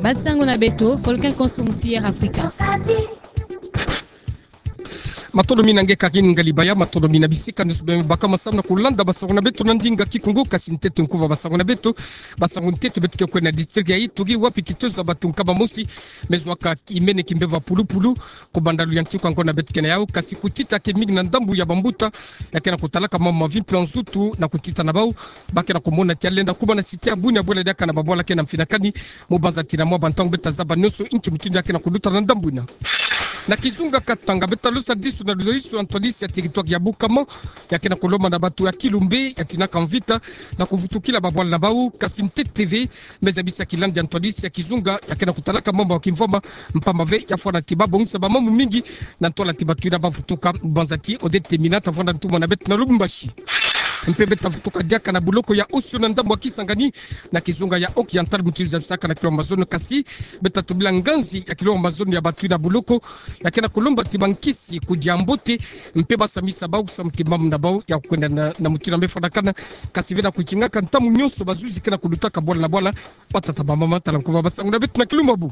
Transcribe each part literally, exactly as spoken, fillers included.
Bansango na beto, folke konso musi Air Afrika. Matondo mingi na nge Karine Ngalibaya, matondo mingi na bisika nyonso bima baka masamu na kulanda bansango na beto na ndinga Kikongo. Kasi ntete nkuva bansango na beto, bansango ntete beto ke kwenda na district ya Ituri, wapi kitezo ya bato nkama mosi me zwa ka imene kimbevo ya pulupulu, kobanda luyantiku ya ngonda beto ke na yau, kasi kutita ke mingi na ndambu ya bambuta ya ke na kutalaka mambu ma vi mpe nzutu na kutita na bau, ba ke na kumona ti ya lenda kuma na site ya Bunia bwela diaka na babwala ke na mfinakani, mu banza ti na mwa bantangu beta zaba nyonso inki mutindu ya ke na kuluta na ndambu ina. Na kizunga Katanga, beta losa disu na luzolisu ya ntwadisi ya territoire ya Bukama, ya ke na kulomba na bato ya Kilumbe, ya tinaka mvita, na kuvutukila babwala na bau, kasi ntete ve, me zabisa kilandi ya ntwadisi ya kizunga ya ke na kutalaka mambu ya kimvwama, mpamba ve ya fwana ti ba bongisa bamambu mingi na ntwala ti bato ina ba vutuka. Banza ti Odette Mina ta vwanda ntumwa na beto na Lubumbashi. Mpe beta vutuka diaka na buloko ya Osio na ndambu ya Kisangani, na kizunga ya Haut-Oriental, mutindu zabisaka na kilo mazono, kasi beta tubila nganzi ya kilo mazono ya bato ina buloko ya ke na kulomba ti bankisi kudia mbote, mpe ba samisa bau samu ti mambu na bau ya kwenda na, na mutindu ya me fwanakana, kasi ve na kutingaka ntangu nyonso bazuzi ke na kulutaka bwala na bwala. Batata, bamama, tala nkuva bansango na beto na kilumbu bu.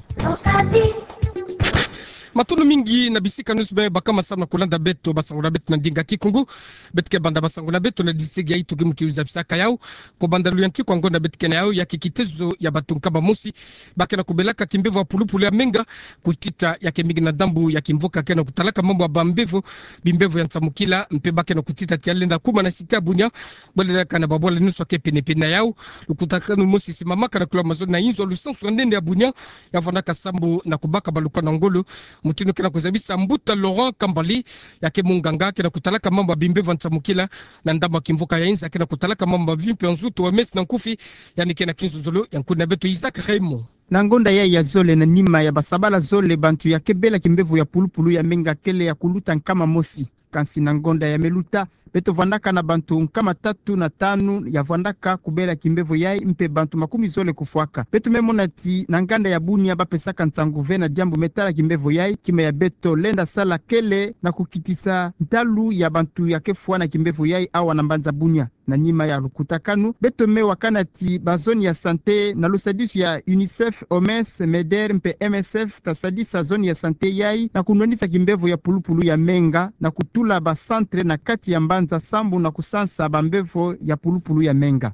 Matondo mingi na bisika nyonso bima baka masamu na kulanda beto bansango na beto na ndinga Kikongo. Beto ke banda bansango na beto na district ya Ituri, mutindu zabisaka yau, kobanda luyantiku ya ngonda beto ke na yau, ya ke kitezo ya bato nkama mosi ba ke na kubelaka kimbevo ya pulupulu ya menga, kutita ya ke mingi na ndambu ya kimvuka ke na kutalaka mambu ya bambevo, bimbevo ya nsamukila, mpe ba ke na kutita ti ya lenda kuma na site ya Bunia bwela diaka na babwala nyonso ke penepene na yau. Lukutakanu mosi simamaka na kilo mazono na inzo ya lusansu ya nene ya Bunia, ya vwandaka sambu na kubaka baluka na ngolo, mutindu ke na kuzabisa mbuta Laurent Kambali, ya ke munganga ke na kutalaka mambu ya bimbevo ya nsamukila, na ndambu ya kimvuka ya inza ke na kutalaka mambu ya vi mpe nzutu, O M S na nkufi, yandi ke na kinzonzolo ya nkundi na beto Isaac Raymond. Na ngonda yayi ya zole, na nima ya basabala zole bantu ya ke bela kimbevo ya pulupulu ya menga kele ya kuluta nkama mosi. Kansi na ngonda ya me luta, beto vwandaka na bantu nkama tatu na tanu ya vwandaka kubela kimbevo yayi, mpe bantu makumi zole kufwaka. Beto me mona ti na nganda ya Bunia ba pesaka nsangu ve na diambu me tala kimbevo yayi, kima ya beto lenda sala kele na kukitisa ntalu ya bantu ya ke fwa na kimbevo yayi awa na mbanza Bunia. Na nima ya lukutakanu, beto me wakana ti ba zone ya santé na lusadisu ya UNICEF, O M S, MEDER mpe M S F ta sadisa zone ya santé yayi na kunwanisa kimbevo ya pulupulu ya menga, na kutula ba centre na kati ya mbanza sambu na kusansa bambevo ya pulupulu ya menga.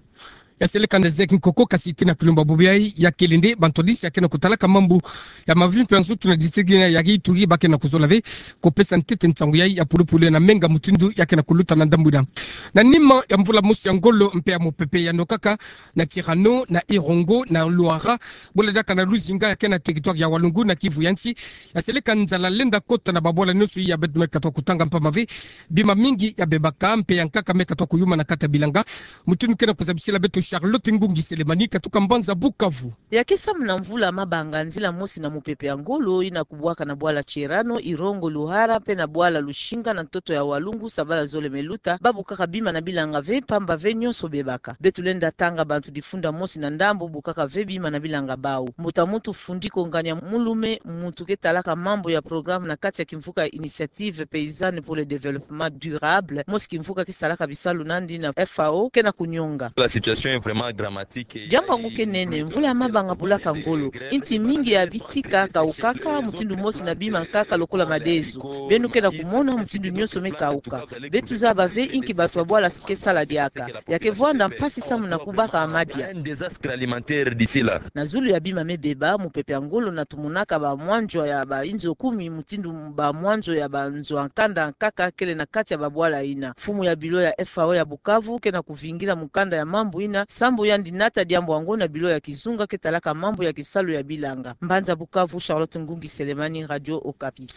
Ya seleka na Zek Nkoko, kasi ti na kilumbu bubu yayi ya kele nde bantwadisi ya ke na kutalaka mambu ya mavi mpe nzutu na district ya Ituri ba ke na kuzola ve kupesa ntete nsangu yayi ya pulupulu na menga mutindu ya ke na kuluta na ndambu ina. Na nima ya mvula mosi ya ngolo mpe ya mupepe ya nokaka, na Tirano, na Irongo, na Luara, bwela diaka na Luzinga ya ke na territoire ya Walungu na Kivu ya nsi, ya seleka nzala lenda kota na babwala nyonso. Ya beto me katuka kutanga mpamba ve bima mingi ya bebaka mpe ya nkaka me katuka kuyuma na kati ya bilanga, mutindu ke na kuzabisila beto Charlotte Ngungi Selemani katuka mbanza Bukavu. Ya ke samu na mvula mabanga, nzila mosi na mupepe ya ngolo ina kubwaka na bwala Tirano, Irongo, Luara mpe na bwala Luzinga na ntoto ya Walungu, sabala zole me luta, ba bukaka bima na bilanga ve, mpamba ve nyonso bebaka. Beto lenda tanga bantu difunda mosi na ndambu bukaka ve bima na bilanga bau. Mbuta muntu Fundiko Ngania Mulume, muntu ke talaka mambu ya programme na kati ya kimvuka Initiative Paysanne pour le Développement Durable, mosi kimvuka ke salaka bisalu na yandi na F A O, ke na kunionga. La situation est vraiment dramatique. Diambu yango ke nene, mvula ya mabanga bulaka ngolo. Inti mingi ya bitika kaukaka, mutindu mosi na bima nkaka lokola madezo. Beno ke na kumona mutindu nyonso me kauka. Beto zaba ve inki bantu ya bwala ke sala diaka. Ya ke vwanda mpasi samu na kubaka madia. Un désastre alimentaire d'ici là. Na zulu ya bima me beba, mupepe ya ngolo na tumonaka bamwanzwa ya bainzo kumi, mutindu bamwanzwa ya banzo ya nkanda nkaka kele na kati ya babwala ina. Mfumu ya bilo ya F A O ya Bukavu ke na kuvingila mukanda ya mambu ina, sambu yandi nata diambu yango na bilo ya kizunga ke talaka mambu ya kisalu ya bilanga. Mbanza Bukavu, Charlotte Ngungi Selemani, Radio Okapi.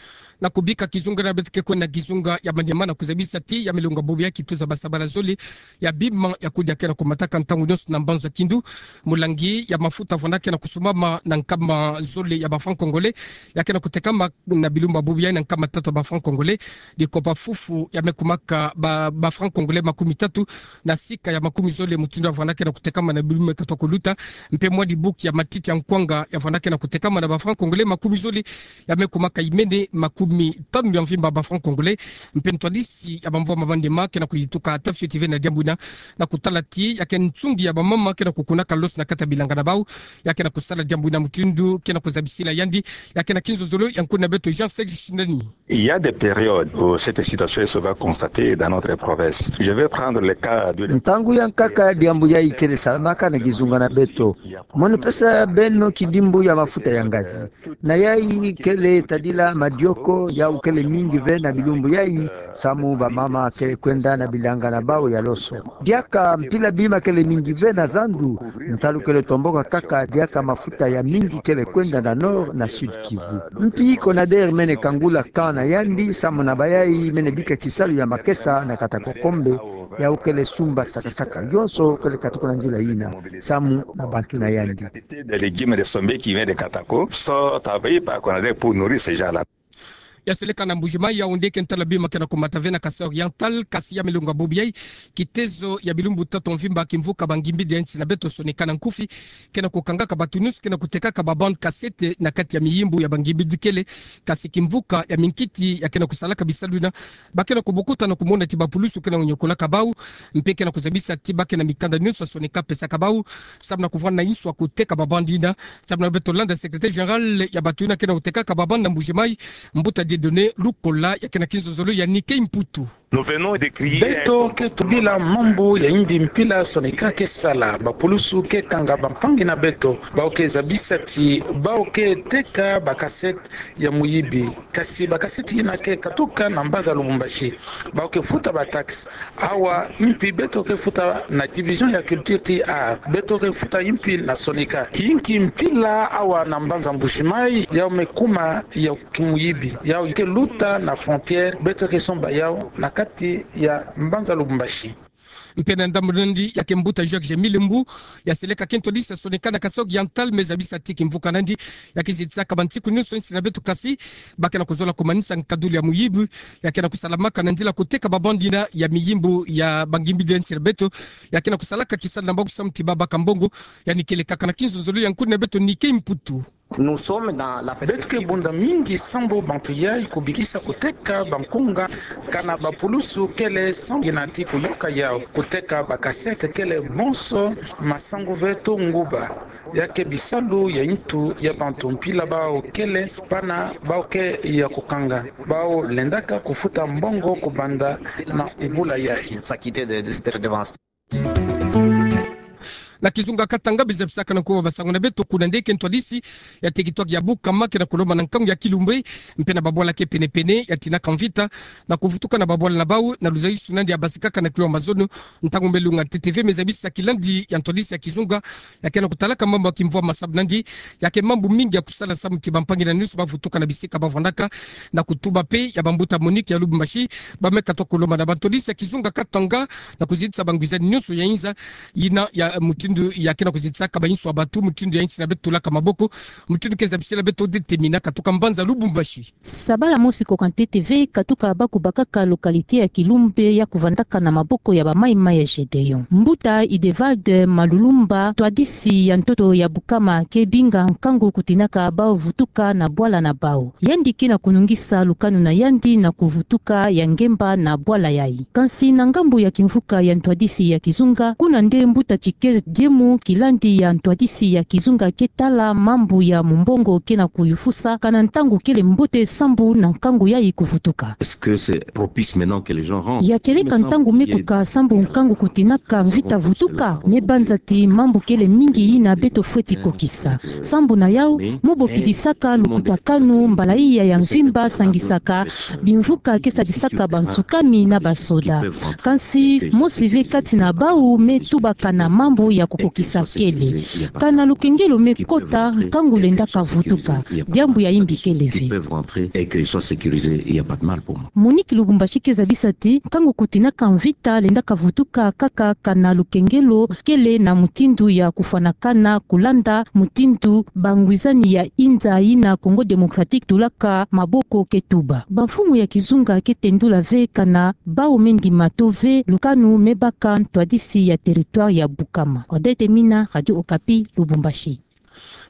Na kubika kizunga na beto ke kwenda kizunga ya Maniema na kuzabisa ti ya milonga bubu ya kituza basabala zole ya bima ya kudia ke na kumataka ntangu nyonso na mbanza Kindu. Mulangi ya mafuta vwanda ke na kusumbama na nkama zole ya ba francs congolais, ya ke na kutekama na bilumbu bubu yayi na nkama tatu ya ba francs congolais. Dikopa fufu ya me kumaka ba, ba francs congolais makumi tatu na sika ya makumi zole, mutindu ya vwanda ke na kutekama na bilumbu me katoa kuluta, mpe mwa dibu kia matiti ya nkwanga ya vwanda ke na kutekama na ba francs congolais makumi zole ya me kumaka imene makumi tanu ya mvimba ba francs congolais, mpe ntwadisi ya ba mvwama mandema ke na kuyituka ata fioti ve na diambu ina, na kutala ti ya ke nsungi ya ba mama ke na kukunaka loso na kati ya bilanga na bau, ya ke na kusala diambu ina mutindu ke na kuzabisila yandi, ya ke na kinzonzolo ya nkuna beto Jean Serge Shinani. Il y a des périodes où cette situation est souvent constatée dans notre province. Je vais prendre le cas de... Ntangu ya nkaka diambu yayi kele salamaka na kizunga na beto. Mono pesa beno kidimbu ya mafuta ya ngazi. Na yayi kele tadila madioko, yau kele mingi ve na bilumbu yayi, samu ba mama kele kwenda na bilanga na bau ya loso. Diaka mpila bima kele mingi ve na zandu, ntalu kele tomboka kaka diaka mafuta ya mingi kele kwenda na Nord na Sud Kivu. Mpi CONADER mene kangula camp na yandi, samu na bayayi mene bika kisalu ya makesa na kata kokombe, yau kele sumba saka-saka. Yonso kele katuka na nzila yina, samu na bantu na yandi. Des légumes de sombe qui vient de Katako sont envoyés par CONADER pour nourrir ces gens-là. Ya seleka na Mbuji-Mayi, yawu nde ke ntala bima ke na kumata ve na Kasaï Oriental, kasi ya me longa bubu yayi, kitezo ya bilumbu tatu mvimba kimvuka ba ngimbidi ya nsi na beto Soneca na nkufi, ke na kukangaka batu nyonso ke na kutekaka ba bande cassette na kati ya miyimbu ya ba ngimbidi kele, kasi kimvuka ya minkiti ya ke na kusalaka bisalu ina, ba ke na kubokuta na kumona ti ba pulusu ke na nyokolaka bau, mpe ke na kuzabisa ti ba ke na mikanda nyonso ya Soneca pesaka bau, samu na kuvwanda inswa kuteka ba bande ina, samu na beto landa secrétaire général ya batu ina ke na kutekaka ba bande na Mbuji-Mayi, Mbuta Dieudonné Lukola, ya ke na kinzonzolo ya Nicky Mputu. Beto ke tubila mambu ya yimbi mpila Soneca ke sala, ba pulusu ke kanga bampangi na beto, bau ke zabisa ti bau ke teka ba cassette ya muyibi. Kasi ba cassette yina ke katuka na mbanza Lubumbashi. Bau ke futa ba taxe. Awa, mpi beto ke futa na division ya culture ti art. Beto ke futa mpi na Soneca. Yinki mpila awa na mbanza Mbuji-Mayi, yau me kuma ya kimuyibi. Yau ke luta na frontière, beto ke somba yau na kati ya mbanza Lubumbashi. Mpe na ndambu na yandi, ya ke Mbuta Jacques Jemile Mbu, ya seleka ke ntwadisi ya Soneca na Kasaï Oriental, me zabisa ti kimvuka na yandi ya ke zitisaka bansiku nyonso nsi na beto, kasi ba ke na kuzola kumanisa nkadulu ya muyibi ya ke na kusalamaka na nzila kuteka ba bande ina ya miyimbu ya ba ngimbidi ya nsi na beto, ya ke na kusalaka kisalu na bau samu ti ba baka mbongo. Yandi kele kaka na kinzonzolo ya nkuna beto Nicky Mputu. Beto ke bunda mingi sambu bantu yayi kubikisa kuteka bankunga kana ba pulusu kele sambu yina ti kuyoka yau. Kuteka ba cassette kele bonso masangu ve to nguba. Ya ke bisalu ya nitu ya bantu mpila bau kele pana bau ke ya kukanga. Bau lendaka kufuta mbongo kubanda na mvula yayi. Na kizunga Katanga, biza bisaka na nkuba basangu na beto, kuna nde ke ntwadisi ya territoire ya Bukama ke na kulomba na nkangu ya Kilumbe, mpe na babwala ke pene-pene, ya tinaka mvita na kuvutuka na babwala na bau, na luzayusu na yandi ya basikaka na kilo ya mazono. Ntangu me lunga T T V me zabisa kilandi ya ntwadisi ya kizunga ya ke na kutalaka mambu ya kimvwama, sabu na yandi ya ke mambu mingi ya kusala samu ti bampangi na yandi nyonso bavutuka na bisika bavwandaka, na kutuba mpe ya bambuta Monique ya Lubumbashi, ba me katoa kulomba na bantwadisi ya kizunga Katanga na kuzitisa bangwizani nyonso ya inza yina ya mutindu ya ke na kuzitisaka ba inswa batu, mutindu ya nsi na beto tulaka maboko, mutindu ke zabisila beto Odette Mina katuka mbanza Lubumbashi. Sabala mosi koka T T V katuka ba kubakaka localité ya Kilumbe ya kuvandaka na maboko ya ba maï-maï ya Gédéon. Mbuta Idevald Malulumba, ntwadisi ya ntoto ya Bukama, ke binga nkangu kutinaka bau vutuka na bwala na bau. Yandi ke na kunungisa lukanu na yandi na kuvutuka ya ngemba na bwala yayi. Kansi na ngambu ya kimvuka ya ntwadisi ya kizunga, kuna nde mbuta Tshikez Diemu, kilandi ya ntwadisi ya kizunga, ke tala mambu ya mumbongo ke na kuyufusa, kana ntangu kele mbote sambu na nkangu yayi kuvutuka. Est-ce que c'est propice maintenant que les gens rentrent? Ya tieleka ntangu me kuka sambu nkangu kutinaka mvita vutuka? Me banza ti mambu kele mingi yina beto fweti kokisa. Sambu na yau, mo bokidisaka lukutakanu mbala iya ya mvimba sangisaka bimvuka ke sadisaka bantsukami na basoda. Kansi mosi ve kati na bau me tubaka na mambu ya kokokisa kele. Kana lukengelo me kota nkangu lenda kavutuka, diambu ya imbi kele ve. Monique Lubumbashi ke zabisa ti nkangu kutinaka mvita lenda kavutuka kaka kana lukengelo kele na mutindu ya kufwanakana kulanda mutindu bangwizani ya inza ina Congo Démocratique tulaka maboko ke tuba. Bamfumu ya kizunga ke tendula ve kana bau me ndima to ve lukanu me baka ntwadisi ya territoire ya Bukama. Odette Mina, Radio Okapi, Lubumbashi.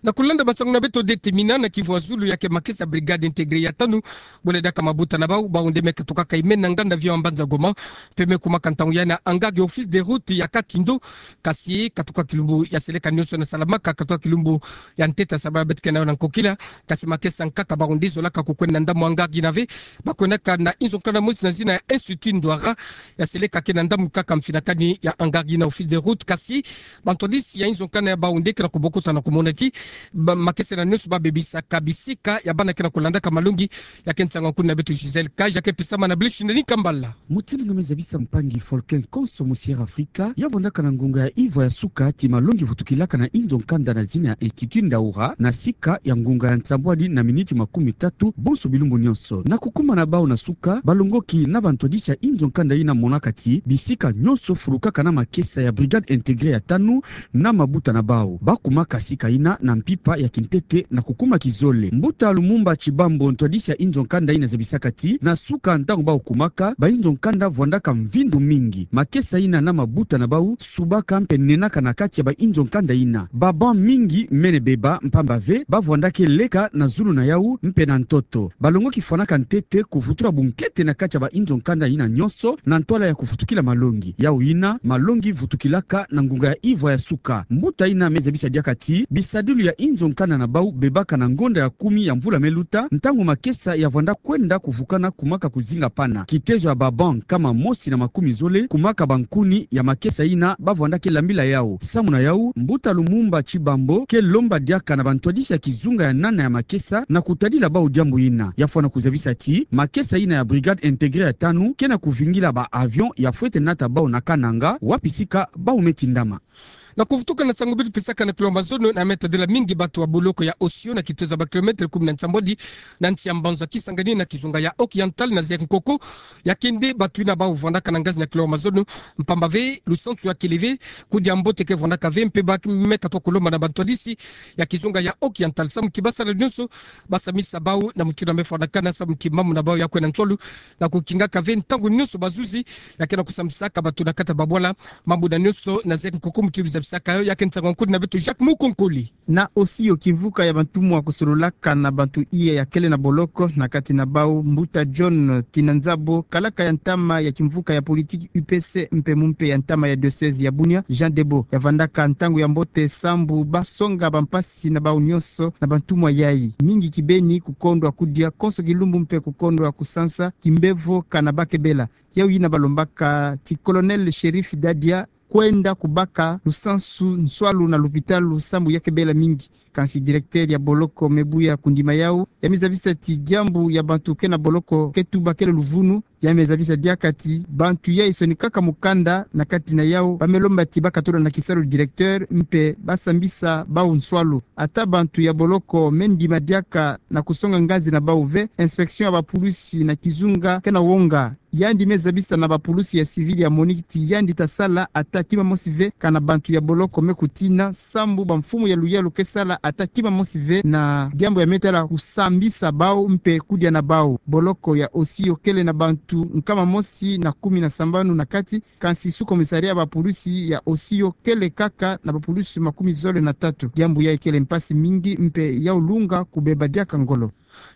Na kulanda masangu na beto, Odette Mina, na kivwa zulu ya ke makesa Brigade Intégrée ya tanu, bo lenda ka mabuta na bau, bau nde me katukaka ime na nganda avion ya mbanza Goma, mpe me kumaka ntangu ya na hangar ya Office des Routes ya Katindo, kasi katuka kilumbu ya seleka nionso na salamaka, katuka kilumbu ya ntete ya sabala beto ke na yo na nkokila, kasi makesa nkaka bau nde zolaka kukwenda na ndamu hangar ina ve, ba kwenaka na inzo nkanda mosi na zina ya Institut Ndwara, ya seleka ke na ndamu kaka mfinakani ya hangar ina Office des Routes, kasi bantwadisi ya inzo nkanda ya bau nde ke na kubokota na kumona ti ba-, makesa ina nionso ba bebisaka bisika ya bana ke na kulandaka malongi. Ya ke nsangu ya nkuna beto Gisèle Kaja ke pisama na Blanche Ndeni Kambala. Mutindu nge me zabisa mpangi Folken konso mu Sierra Africa, ya vwandaka na ngunga ya ivwa ya suka ti malongi vutukilaka na inzo nkanda na zina ya Institut Ndwara, na sika ya ngunga ya nsambwadi na miniti makumi tatu bonso bilumbu nionso. Na kukumana bau na suka, balongoki na bantwadisi ya inzo nkanda ina monaka ti bisika nionso fulukaka na makesa ya Brigade Intégrée ya tanu na mabuta na bau. Ba kumaka sika ina na mpimpa ya kintete na kukuma kizole. Mbuta Lumumba Tshibambo, ntwadisi ya inzo nkanda ina, zabisaka ti na suka, ntangu bau kumaka, ba inzo nkanda vwandaka mvindu mingi. Makesa ina na mabuta na bau subaka mpe nenaka na kati ya ba inzo nkanda ina. Ba banc mingi mene beba mpamba ve ba vwandaka leka na zulu na yau mpe na ntoto. Balongoki fwanaka ntete kuvutula bunkete na kati ya ba inzo nkanda ina nionso na ntwala ya kuvutukila malongi. Yau ina malongi vutukilaka na ngunga ya ivwa ya suka. Mbuta ina me zabisa diaka ti bisadilu ya inzo nkanda na bau bebaka na ngonda ya kumi ya mvula me luta, ntangu makesa ya vwanda kwenda kuvukana kumaka kuzinga pana. Kitezo ya ba banc nkama mosi na makumi zole kumaka bankuni ya makesa ina ba vwandaka lambila yau. Samu na yau, mbuta Lumumba Tshibambo ke lomba diaka na bantwadisi ya kizunga ya nana ya makesa na kutadila bau diambu ina. Ya fwana kuzabisa ti makesa ina ya Brigade Intégrée ya tanu ke na kuvingila ba avion ya fwete nata bau na Kananga, wapi sika bau me tindama. Na kuvutuka na nsangu beto pisaka na kilo mazono, na me tadila mingi batu ya boloko ya Osio na kitezo ya ba kilomètre kumi na nsambwadi na nsi ya mbanza Kisangani na kizunga ya Oriental na Zerkokoro. Ya ke nde batu ina bau vwandaka na ngazi na kilo mazono, mpamba ve lusansu ya kele ve, kudia mbote ke vwandaka ve, mpe ba me katuka kulomba na bantwadisi ya kizunga ya Oriental samu ti ba sala nionso ba samisa bau na mutindu ya me fwanakana samu ti mambu na bau ya kwenda nswalu, na kukingaka ve ntangu nionso bazuzi ya ke na kusamisaka batu na kati ya babwala. Mambu na nionso na Zerkokoro, mutindu zabisaka yo, ya ke nsangu ya nkuna beto Jacques Mukonkole. Na Osio, kimvuka ya bantumwa kusololaka na bantu iya ya kele na boloko, na kati na bau mbuta John Tinanzabo, kalaka ya ntama ya kimvuka ya politique U P C mpe mumpe ya ntama ya diocèse ya Bunia, Jean Debo. Ya vwandaka ntangu ya mbote sambu ba songa bampasi na bau nionso na bantumwa yayi. Mingi kibeni kukondwa kudia konso kilumbu mpe kukondwa kusansa kimbevo kana ba kebela. Yau ina balombaka ti Colonel Cherif Dadia kwenda kubaka lusansu nswalu na lupitalu samu ya kebela mingi. Kansi directeur ya boloko me buya kundima yau, ya me zabisa ti diambu ya bantu ke na boloko ke tuba kele luvunu. Ya me zabisa diaka ti bantu yayi sonikaka mukanda na kati na yau ba me lomba ti ba katula na kisalu directeur mpe ba sambisa bau nswalu. Ata bantu ya boloko me ndima diaka na kusonga ngazi na bau ve, inspection ya bapulusi na kizunga ke na wonga. Yandi me zabisa na bapulusi ya civil ya MONUC ti yandi ta sala ata kima mosi ve kana bantu ya boloko me kutina, sambu bamfumu ya luyalu ke sala ata kima mosi ve na diambu ya me tala kusambisa bau mpe kudia na bau. Boloko ya Osio kele na bantu nkama mosi na kumi na sambanu na kati, kansi sous-commissariat ya bapulusi ya Osio kele kaka na bapulusi makumi zole na tatu. Diambu yayi kele mpasi mingi mpe yau lunga kubeba diaka ngolo.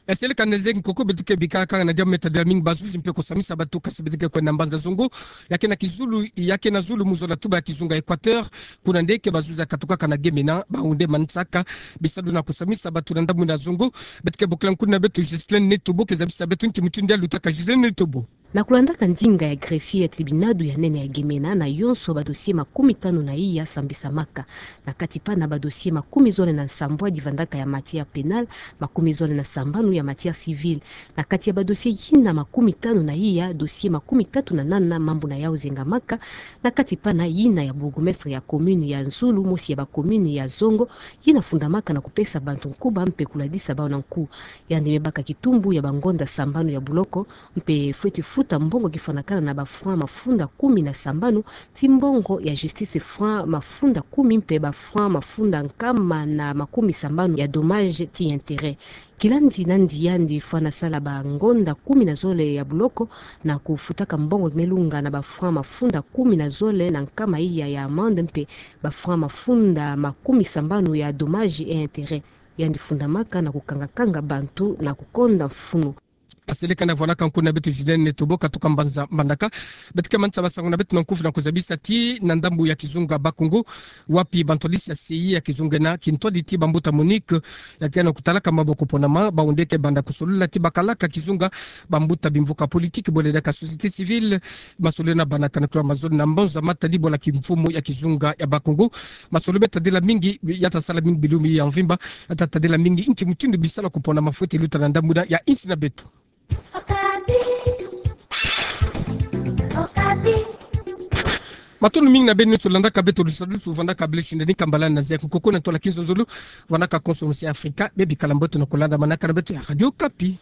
Esele kana Zerkokoro, beto ke bikala kaka na diambu me tadila mingi bazuzi mpe kusamisa batu, kansi beto ke kwenda mbanza zongo, ya ke na kizulu, ya ke na zulu mu zola tuba ya kizunga Équateur. Kuna nde ke bazuzi ya katukaka na gemena, bau nde manisaka bisalu na kusamisa batu na ndambu na zongo. Beto ke bokila nkuna beto Ghislaine Netobo ke zabisa beto nki mutindu ya lutaka. Ghislaine Netobo. Na kulandaka ndinga ya greffier ya tribunado ya nene ya Gemena, na yonso badossier makumi tanu na iya sambisamaka. Na kati pana badossier makumi zole na nsambwadi vandaka ya matière pénale, makumi zole na sambanu ya matière civile. Na kati ya badossier yina makumi tanu na iya, dossier makumi tatu na nana mambu na yau zengamaka. Na kati pana yina ya bourgmestre ya commune ya Nzulu, mosi ya ba commune ya zongo, yina fundamaka na kupesa bantu nkuba mpe kuladisa bau na nku. Yandi me baka kitumbu ya bangonda sambanu ya buloko, mpe fweti futa mbongo kifwanakana na ba francs mafunda kumi na sambanu, ti mbongo ya justice francs mafunda kumi mpe ba francs mafunda nkama na makumi sambanu ya dommages ti intérêts. Kilandi nandi yandi fwana sala bangonda kumi na zole ya buloko na kufutaka mbongo kimelunga na ba francs mafunda kumi na zole na nkama iya ya amende mpe ba francs mafunda makumi sambanu ya dommages et intérêts. Yandi fundamaka na kukangakanga bantu na kukonda mfunu. Aseleka na vwanaka nkuna beto Zidane Tobo katuka mbanza mbandaka. Beto ke manisa masangu na beto na nkufi na kuzabisa ti na ndambu ya kizunga Bakongo, wapi bantwadisi ya C I A ya kizunga ena, kintwadi ti bambuta MONUC, ya ke na kutalaka maboko ponama, bawu nde ke banda kusolula ti bakalaka kizunga, bambuta bimvuka politique, bole diaka société civile, masolulu na bana kana kula mazolo na mbanza matadi bola kimfumu ya kizunga ya Bakongo. Masolulu me tadila mingi, ya tasala mingi bilumbu ya mvimba, ya tatadila mingi nti mutindu bisalu kupona mafweti luta na ndambu ena ya insi na beto. Matondo mingi na beno nyonso landaka beto lusadusu vandaka bele sindani kambala na zia kunkoko na ntola-kinzonzolo vandaka konso musi Afrika, bebikala mbote na kulandamanaka na beto ya Radio Okapi.